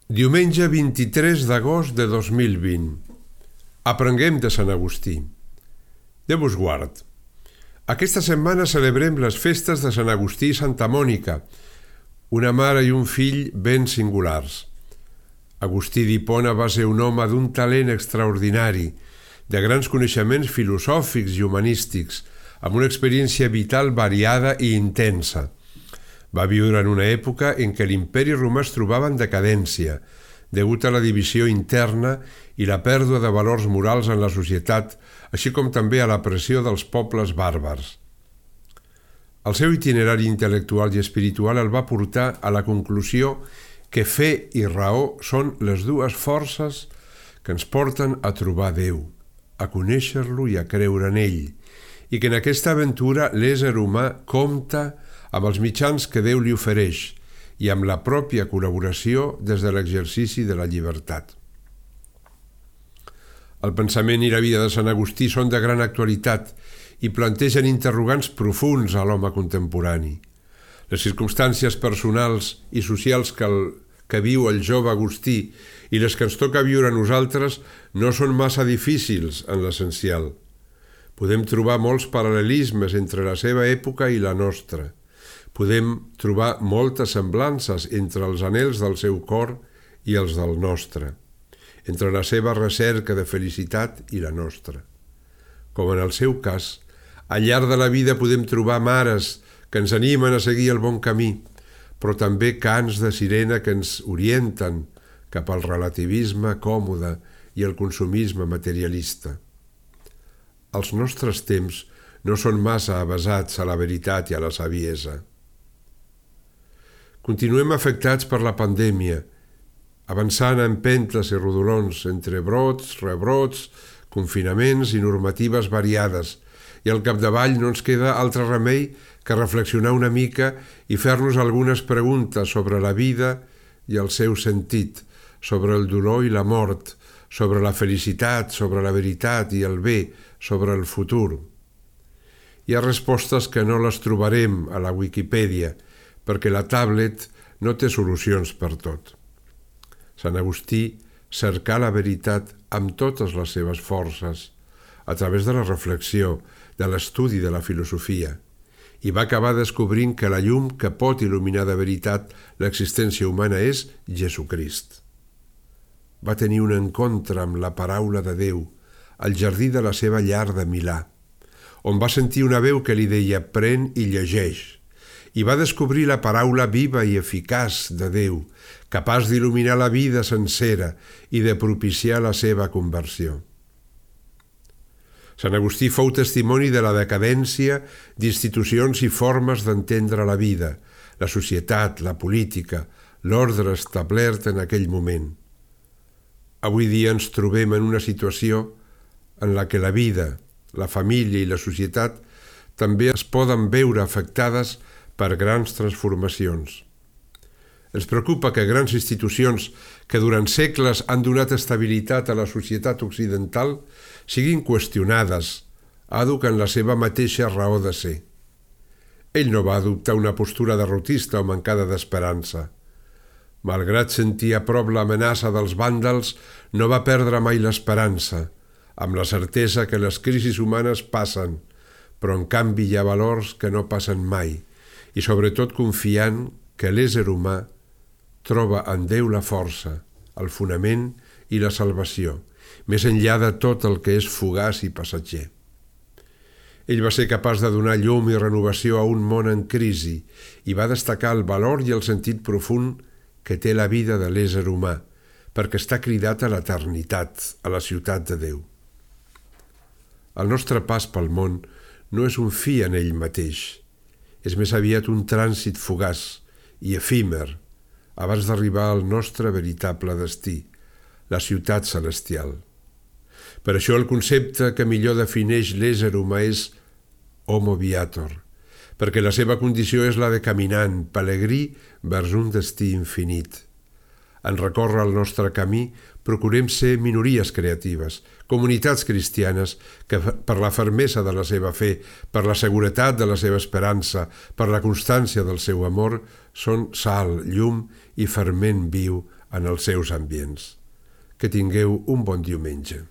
Diumenge 23 d'agost de 2020. Aprenguem de Sant Agustí. Déu vos guard. Aquesta setmana celebrem les festes de Sant Agustí i Santa Mònica, una mare i un fill ben singulars. Agustí d'Hipona va ser un home d'un talent extraordinari, de grans coneixements filosòfics i humanístics, amb una experiència vital variada i intensa. Va viure en una època en què l'imperi romà es trobava en decadència, degut a la divisió interna i la pèrdua de valors morals en la societat, així com també a la pressió dels pobles bàrbars. El seu itinerari intel·lectual i espiritual el va portar a la conclusió que fe i raó són les dues forces que ens porten a trobar Déu, a conèixer-lo i a creure en ell, i que en aquesta aventura l'ésser humà compta amb els mitjans que Déu li ofereix i amb la pròpia col·laboració des de l'exercici de la llibertat. El pensament i la vida de Sant Agustí són de gran actualitat i plantegen interrogants profunds a l'home contemporani. Les circumstàncies personals i socials que viu el jove Agustí i les que ens toca viure a nosaltres no són massa difícils en l'essencial. Podem trobar molts paral·lelismes entre la seva època i la nostra. Podem trobar moltes semblances entre els anhels del seu cor i els del nostre, entre la seva recerca de felicitat i la nostra. Com en el seu cas, al llarg de la vida podem trobar mares que ens animen a seguir el bon camí, però també cants de sirena que ens orienten cap al relativisme còmode i el consumisme materialista. Els nostres temps no són massa avesats a la veritat i a la saviesa. Continuem afectats per la pandèmia, avançant a empentes i rodolons entre brots, rebrots, confinaments i normatives variades, i al capdavall no ens queda altre remei que reflexionar una mica i fer-nos algunes preguntes sobre la vida i el seu sentit, sobre el dolor i la mort, sobre la felicitat, sobre la veritat i el bé, sobre el futur. Hi ha respostes que no les trobarem a la Wikipedia, perquè la tablet no té solucions per tot. Sant Agustí cercà la veritat amb totes les seves forces, a través de la reflexió, de l'estudi de la filosofia, i va acabar descobrint que la llum que pot il·luminar de veritat l'existència humana és Jesucrist. Va tenir un encontre amb la paraula de Déu al jardí de la seva llar de Milà, on va sentir una veu que li deia «Pren i llegeix», i va descobrir la paraula viva i eficaç de Déu, capaç d'il·luminar la vida sencera i de propiciar la seva conversió. Sant Agustí fou testimoni de la decadència d'institucions i formes d'entendre la vida, la societat, la política, l'ordre establert en aquell moment. Avui dia ens trobem en una situació en la que la vida, la família i la societat també es poden veure afectades per grans transformacions. Ens preocupa que grans institucions que durant segles han donat estabilitat a la societat occidental siguin qüestionades, àdhuc en la seva mateixa raó de ser. Ell no va adoptar una postura derrotista o mancada d'esperança. Malgrat sentir a prop l'amenaça dels vàndals, no va perdre mai l'esperança, amb la certesa que les crisis humanes passen, però en canvi hi ha valors que no passen mai, i sobretot confiant que l'ésser humà troba en Déu la força, el fonament i la salvació, més enllà de tot el que és fugaç i passatger. Ell va ser capaç de donar llum i renovació a un món en crisi i va destacar el valor i el sentit profund que té la vida de l'ésser humà, perquè està cridat a l'eternitat, a la ciutat de Déu. El nostre pas pel món no és un fi en ell mateix, és més aviat un trànsit fugaç i efímer abans d'arribar al nostre veritable destí, la ciutat celestial. Per això el concepte que millor defineix l'ésser humà és homo viator, perquè la seva condició és la de caminant, pelegrí vers un destí infinit. En recórrer el nostre camí, procurem ser minories creatives, comunitats cristianes que per la fermesa de la seva fe, per la seguretat de la seva esperança, per la constància del seu amor, són sal, llum i ferment viu en els seus ambients. Que tingueu un bon diumenge.